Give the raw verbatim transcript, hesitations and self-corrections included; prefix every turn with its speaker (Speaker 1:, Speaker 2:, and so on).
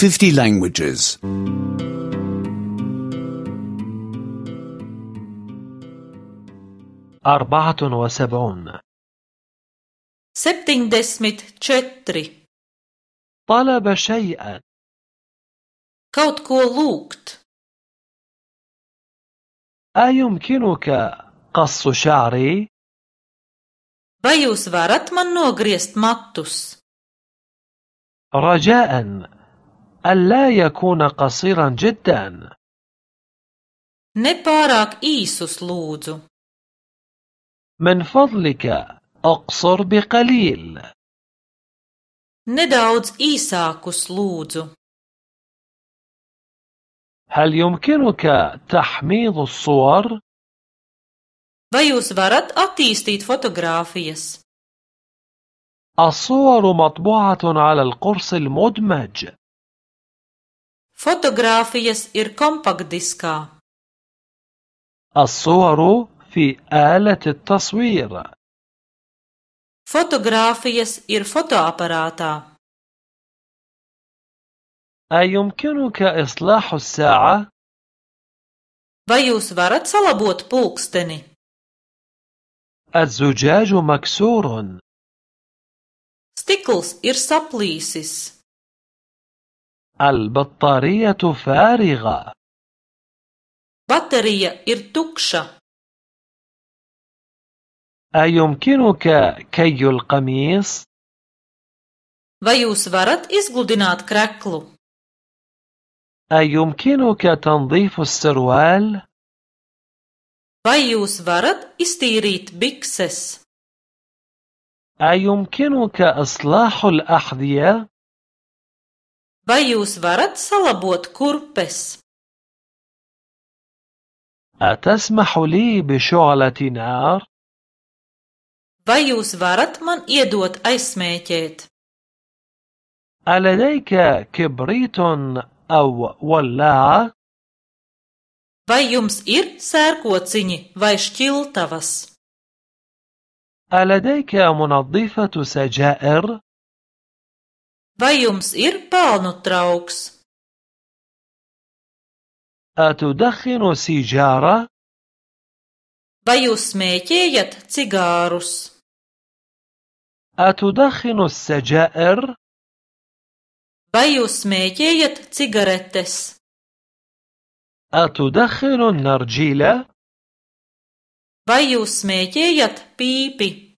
Speaker 1: fifty languages.
Speaker 2: أربعة وسبعون.
Speaker 3: septiņdesmit četri.
Speaker 2: طلب شيئا.
Speaker 3: Kaut ko lūgt.
Speaker 2: أيمكنك قص شعري؟
Speaker 3: Vai jūs varat man nogriezt matus?
Speaker 2: رجاء ألا يكون قصيرا جدا.
Speaker 3: Ne pārāk īsus lūdzu.
Speaker 2: من فضلك أقصر بقليل.
Speaker 3: Nedaudz īsākus lūdzu.
Speaker 2: هل يمكنك تحميض الصور؟
Speaker 3: Vai jūs varat attīstīt fotogrāfijas?
Speaker 2: الصور مطبوعة على القرص المدمج.
Speaker 3: Fotogrāfijas ir kompaktdiskā.
Speaker 2: الصور في آلة التصوير.
Speaker 3: Fotogrāfijas ir fotoaparātā.
Speaker 2: أيمكنك إصلاح الساعة؟
Speaker 3: Vai jūs varat salabot pulksteni?
Speaker 2: الزجاج مكسور.
Speaker 3: Stikls ir saplīsis.
Speaker 2: البطارية فارغة.
Speaker 3: Baterija ir tukša.
Speaker 2: أيمكنك كي القميص؟
Speaker 3: Vai jūs varat izgludināt kreklu?
Speaker 2: أيمكنك تنظيف السروال؟
Speaker 3: Vai jūs varat iztīrīt bikses?
Speaker 2: أيمكنك إصلاح الأحذية؟
Speaker 3: Vai jūs varat salabot kurpes?
Speaker 2: أتسمح لي بشعلة نار؟
Speaker 3: Vai jūs varat man iedot aizsmēķēt?
Speaker 2: ألديك كبريت أو ولاعة؟
Speaker 3: Vai jums ir sērkociņi vai šķiltavas?
Speaker 2: ألديك منظفة سجائر؟
Speaker 3: Vai jums ir pelnu trauks?
Speaker 2: أتدخن سيجارة؟
Speaker 3: Vai jūs smēķējat cigārus?
Speaker 2: أتدخن السجائر؟
Speaker 3: Vai jūs smēķējat cigaretes?
Speaker 2: أتدخن النرجيلة؟
Speaker 3: Vai jūs smēķējat pīpi?